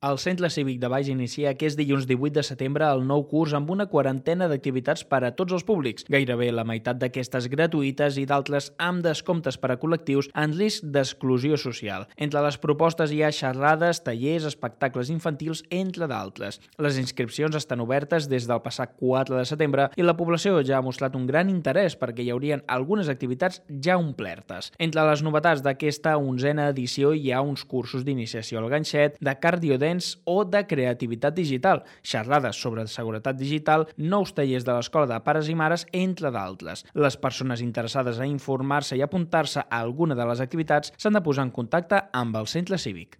El Centre Cívic de Baix inicia aquest dilluns 18 de setembre el nou curs amb una quarantena d'activitats per a tots els públics, gairebé la meitat d'aquestes gratuïtes i d'altres amb descomptes per a col·lectius en risc d'exclusió social. Entre les propostes hi ha xerrades, tallers, espectacles infantils, entre d'altres. Les inscripcions estan obertes des del passat 4 de setembre i la població ja ha mostrat un gran interès perquè hi haurien algunes activitats ja omplertes. Entre les novetats d'aquesta 11a edició hi ha uns cursos d'iniciació al ganxet, de cardiodènsia o de creativitat digital, xerrades sobre seguretat digital, nous tallers de l'Escola de Pares i Mares, entre d'altres. Les persones interessades a informar-se i apuntar-se a alguna de les activitats s'han de posar en contacte amb el centre cívic.